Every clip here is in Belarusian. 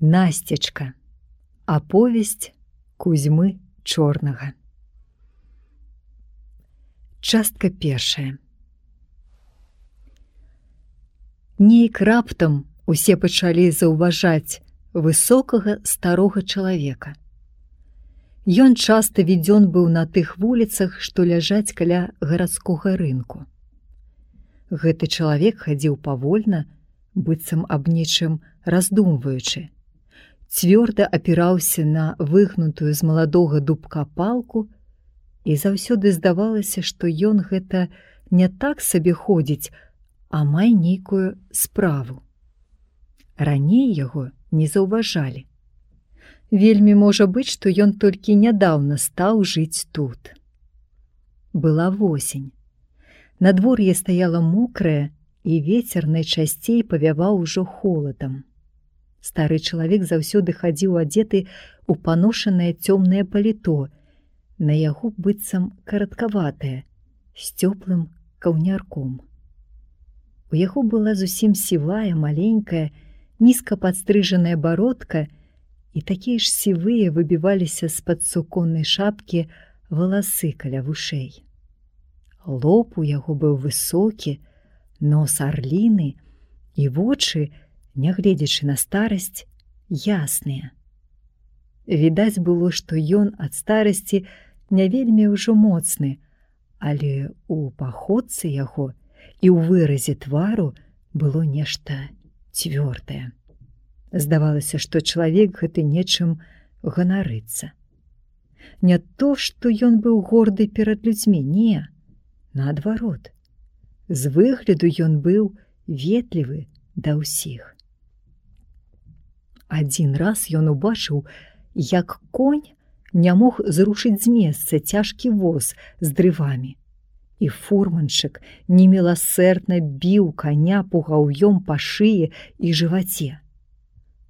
Насцячка. Аповесць Кузьмы Чорнага. Частка першая. Нейк раптам усе пачалі заўважаць высокага старога чалавека. Ён часта відзён быў на тых вуліцах, што ляжаць каля гарадскога рынку. Гэты чалавек хадзіў павольна, быццам аб нечым раздумваючы. Цвёрда апіраўся на выгнутую з маладога дубка палку, і заўсёды здавалася, што ён гэта не так сабе ходзіць, а мае нейкую справу. Раней яго не заўважалі. Вельмі можа быць, што ён толькі нядаўна стаў жыць тут. Была восень. Надвор'е стаяла мокрае, і вецер найчасцей павяваў ужо холадам. Стары чалавек заўсёды хадзіў адзеты ў паношанае цёмнае паліто, на яго быццам караткаватае, з цёплым каўнярком. У яго была зусім сівая, маленькая, нізка падстрыжаная бародка, і такія ж сівыя выбіваліся з-пад суконнай шапкі валасы каля вушэй. Лоб у яго быў высокі, нос арліны, і вочы, нягледзячы на старасць, ясныя. Відаць было, што ён ад старасці не вельмі ўжо моцны, але ў паходцы яго і ў выразе твару было нешта цвёрдае. Здавалася, што чалавек гэты нечым ганарыцца. Не то, што ён быў горды перад людзьмі, не, наадварот. З выгляду ён быў ветлівы да ўсіх. Адзін раз ён убачыў, як конь не мог зрушыць з месца цяжкі воз з дрывамі, і фурманшчык неміласэрдна біў каня пугаўём па шыі і жываце.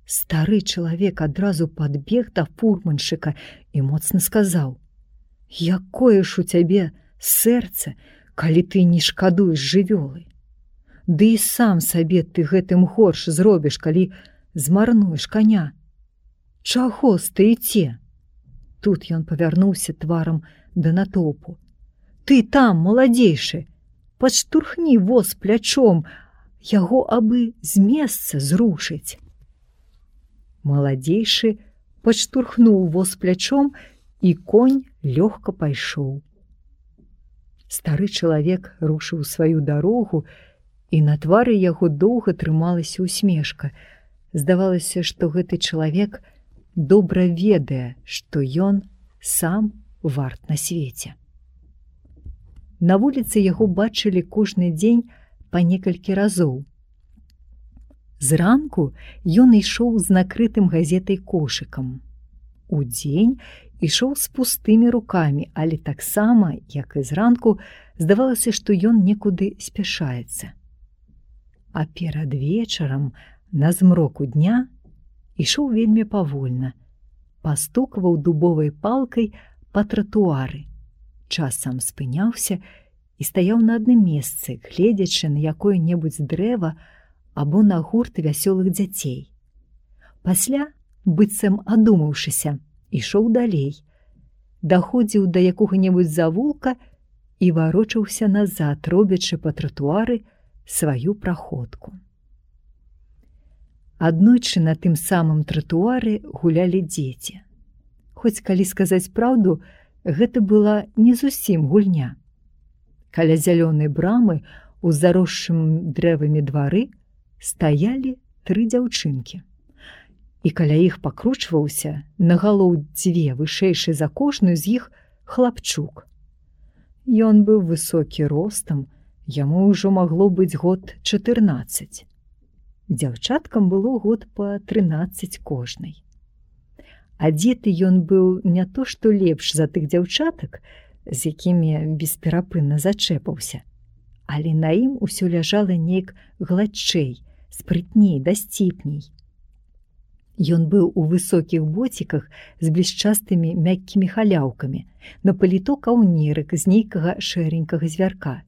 Стары чалавек адразу падбег да фурманшчыка і моцна сказаў: «Якое ж у цябе сэрца, калі ты не шкадуеш жывёлы? Ды і сам сабе ты гэтым горш зробіш, калі змарнуеш коня. Чаго стаіце?» Тут ён павярнуўся тварам да натоўпу. «Ты там, маладзейшы, падштурхні воз плячом, яго абы з месца зрушыць». Маладзейшы падштурхнуў воз плячом, і конь лёгка пайшоў. Стары чалавек рушыў сваю дарогу, і на твары яго доўга трымалася усмешка. Здавалася, што гэты чалавек добра ведае, што ён сам варт на свеце. На вуліцы яго бачылі кожны дзень па некалькі разоў. Зранку ён ішоў з накрытым газетай кошыкам. Удзень ішоў з пустымі рукамі, але таксама, як і зранку, здавалася, што ён некуды спяшаецца. А перад вечарам, на змроку дня, ішоў вельмі павольна, пастукваў дубовай палкай па тратуары, часам спыняўся і стаяў на адным месцы, гледзячы на якое-небудзь дрэва або на гурт вясёлых дзяцей. Пасля, быццам адумаўшыся, ішоў далей, даходзіў да якога-небудзь завулка і варочаўся назад, робячы па тратуары сваю праходку. Аднойчы на тым самым тратуары гулялі дзеці. Хоць, калі сказаць праўду, гэта была не зусім гульня. Каля зялёнай брамы ў заросшым дрэвамі двары стаялі 3 дзяўчынкі. І каля іх пакручваўся на галоў 2 вышэйшы за кожную з іх хлапчук. Ён быў высокі ростам, яму ўжо магло быць год 14. Дзяўчаткам было год па 13 кожнай. Адзеты ён быў не то што лепш за тых дзяўчатак, з якімі бесперапынна зачэпаўся, але на ім усё ляжала неяк гладчэй, спрытней, дасціпней. Ён быў у высокіх боціках з блішчастымі мяккімі халяўкамі, на паліто каўнерык з нейкага шэренькага звярка.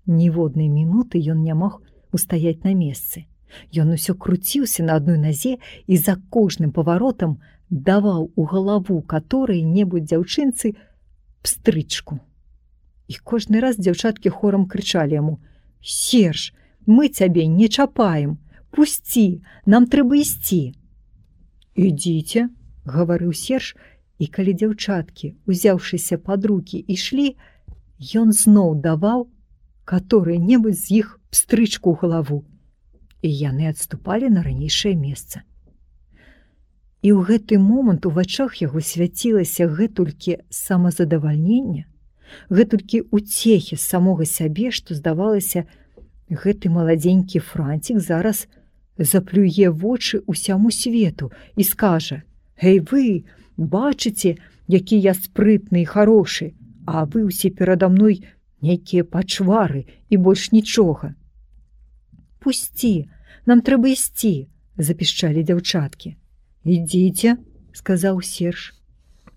Ніводнай мінуты ён не мог устаяць на месцы. Ён усё круціўся на адной назе і за кожным паваротам даваў у галаву каторай-небудзь дзяўчынцы пстрычку. І кожны раз дзяўчаткі хорам крычалі яму: «Серж, мы цябе не чапаем, пусці, нам трэба ісці». «Ідзіце», – гаварыў Серж, і калі дзяўчаткі, узяўшыся пад рукі, ішлі, ён зноў даваў каторай-небудзь з іх пстрычку ў галаву, і яны адступалі на ранейшае месца. І ў гэты момант у вачах яго свяцілася гэтулькі самазадавальнення, гэтулькі уцехі з самога сябе, што, здавалася, гэты маладзенькі францік зараз заплюе вочы ўсяму свету і скажа: «Гэй вы, бачыце, які я спрытны і харошы, а вы ўсе перада мной нейкія пачвары і больш нічога». «Пусці, нам трэба ісці», – запішчалі дзяўчаткі. «Ідзіце», – сказаў Серж.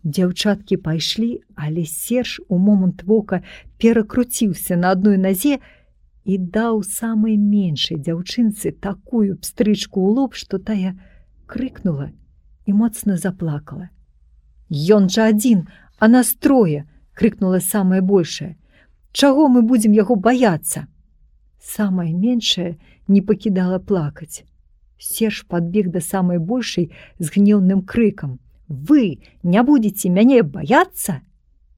Дзяўчаткі пайшлі, але Серж у момант вока перакруціўся на адной назе і даў самай меншай дзяўчынцы такую пстрычку ў лоб, што тая крыкнула і моцна заплакала. «Ён жа адзін, а нас трое!» – крыкнула самая большая. «Чаго мы будзем яго баяцца?» Самая меншая не пакідала плакаць. Серж падбег да самай большай з гнеўным крыкам: «Вы не будзеце мяне баяцца?»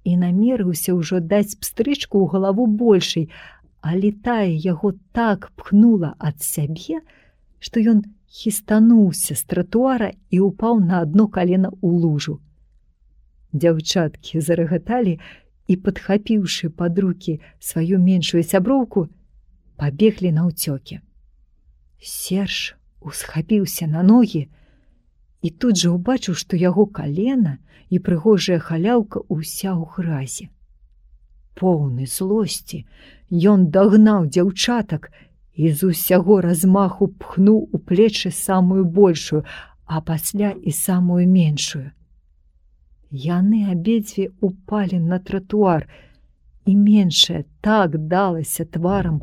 І намерыўся ўжо даць пстрычку ў галаву большай, але тая яго так пхнула ад сябе, што ён хістануўся з тратуара і ўпаў на адно калена ў лужу. Дзяўчаткі зарагаталі і, падхапіўшы пад рукі сваю меншую сяброўку, пабеглі наўцёкі. Серж усхапіўся на ногі і тут жа ўбачыў, што яго калена і прыгожая халяўка ўся ў гразі. Поўны злосці, ён дагнаў дзяўчатак і з усяго размаху пхнуў у плечы самую большую, а пасля і самую меншую. Яны абедзве упалі на тратуар, і меншая так далася тварам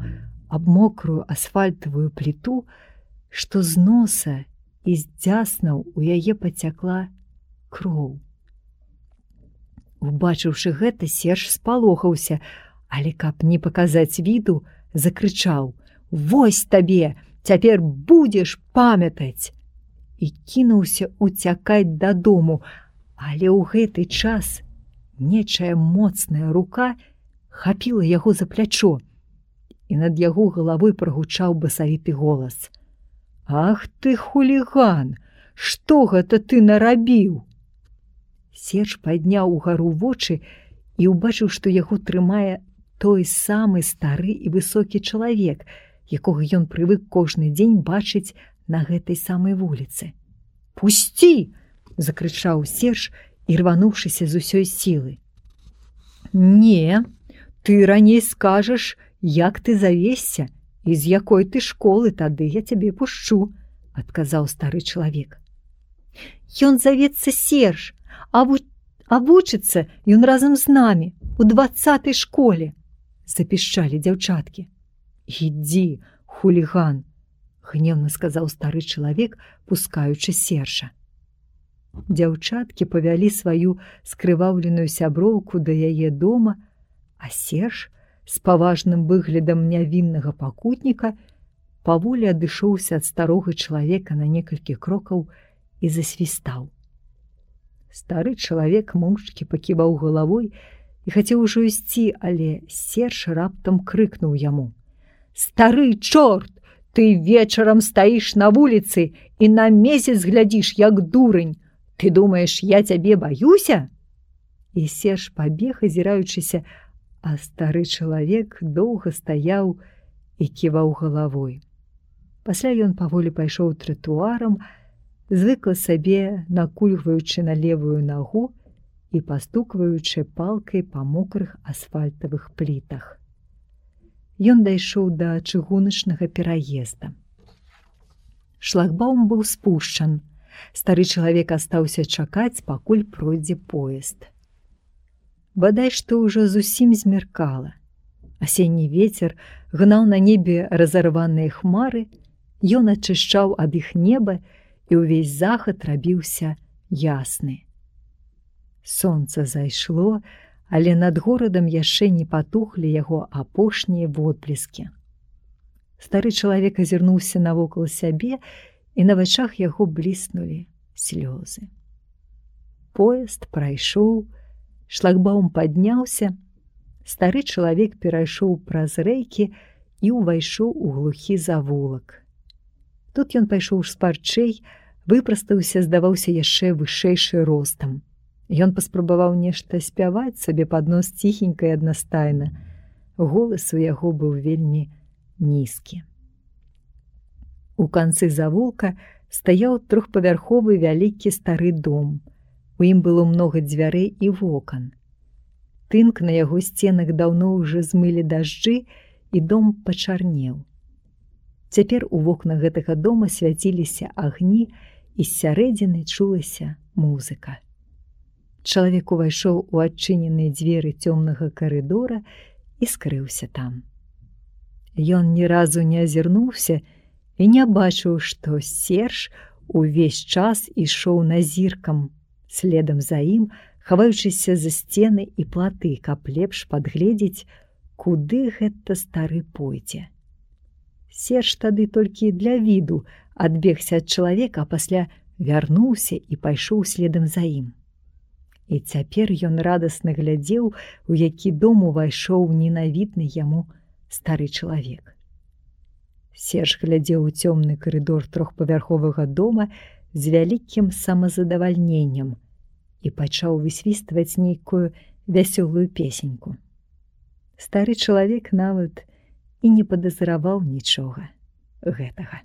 аб мокрую асфальтавую пліту, што з носа і з дзяснаў у яе пацякла кроў. Убачыўшы гэта, Серж спалохаўся, але каб не паказаць віду, закрычаў: «Вось табе, цяпер будзеш памятаць!» І кінуўся уцякаць дадому, але ў гэты час нечая моцная рука хапіла яго за плячо, і над яго галавой прагучаў басавіты голас: «Ах ты, хуліган! Што гэта ты нарабіў?» Серж падняў угару вочы і ўбачыў, што яго трымае той самы стары і высокі чалавек, якога ён прывык кожны дзень бачыць на гэтай самай вуліцы. «Пусці!» – закрычаў Серж, і рвануўшыся з усёй сілы. «Не, ты раней скажаш, як ты завесся і з якой ты школы, тады я цябе пушчу», – адказаў стары чалавек. «Ён завецца Серж, а вучыцца ён разам з намі у 20-й школе», – запішчалі дзяўчаткі. «Ідзі, хуліган», – гневна сказаў стары чалавек, пускаючы Сержа. Дзяўчаткі павялі сваю скрываўленую сяброўку да яе дома, а Серж з паважным выглядам нявіннага пакутніка паволі адышоўся ад старога чалавека на некалькі крокаў і засвістаў. Стары чалавек моўчкі паківаў галавой і хацеў ужо ісці, але Серж раптам крыкнуў яму: «Стары чорт, ты вечарам стаіш на вуліцы і на месяц глядзіш, як дурань. Ты думаеш, я цябе баюся?» І Серж пабег, азіраючыся, а стары чалавек доўга стаяў і ківаў галавой. Пасля ён паволі пайшоў тратуарам, звыкла сабе накульгваючы на левую нагу і пастукваючы палкай па мокрых асфальтавых плітах. Ён дайшоў да чыгуначнага пераезда. Шлагбаум быў спушчан. Стары чалавек астаўся чакаць, пакуль пройдзе поезд. Бадай што ўжо зусім змеркала. Асенні вецер гнаў на небе разарваныя хмары, Ён ачышчаў ад іх неба, і ўвесь захад рабіўся ясны. Сонца зайшло, але над горадам яшчэ не патухлі яго апошнія водбліскі. Стары чалавек азірнуўся навокал сябе, і на вачах яго бліснулі слёзы. Поезд прайшоў, шлагбаум падняўся, стары чалавек перайшоў праз рэйкі і ўвайшоў у глухі завулак. Тут ён пайшоў шпарчэй, выпрастаўся, здаваўся яшчэ вышэйшы ростам. Ён паспрабаваў нешта спяваць сабе пад нос ціхенька і аднастайна. Голас у яго быў вельмі нізкі. У канцы завулка стаяў трохпавярховы вялікі стары дом. У ім было многа дзвярэй і вокон. Тынк на яго сценах даўно ўжо змылі дажджы, і дом пачарнеў. Цяпер у вокнах гэтага дома свяціліся агні, і з сярэдзіны чулася музыка. Чалавек увайшоў у адчыненыя дзверы цёмнага карыдора і скрыўся там. Ён ні разу не азірнуўся і не бачыў, што Серж увесь час ішоў назіркам, следам за ім, хаваючыся за сцены і платы, каб лепш падгледзець, куды гэта стары пойдзе. Серж тады толькі для віду адбегся ад чалавека, а пасля вярнуўся і пайшоў следам за ім. І цяпер ён радасна глядзеў, у які дом увайшоў ненавідны яму стары чалавек. Серж глядзеў у цёмны карыдор трохпавярховага дома з вялікім самазадавальненнем і пачаў высвістваць нейкую вясёлую песеньку. Стары чалавек нават і не падазраваў нічога гэтага.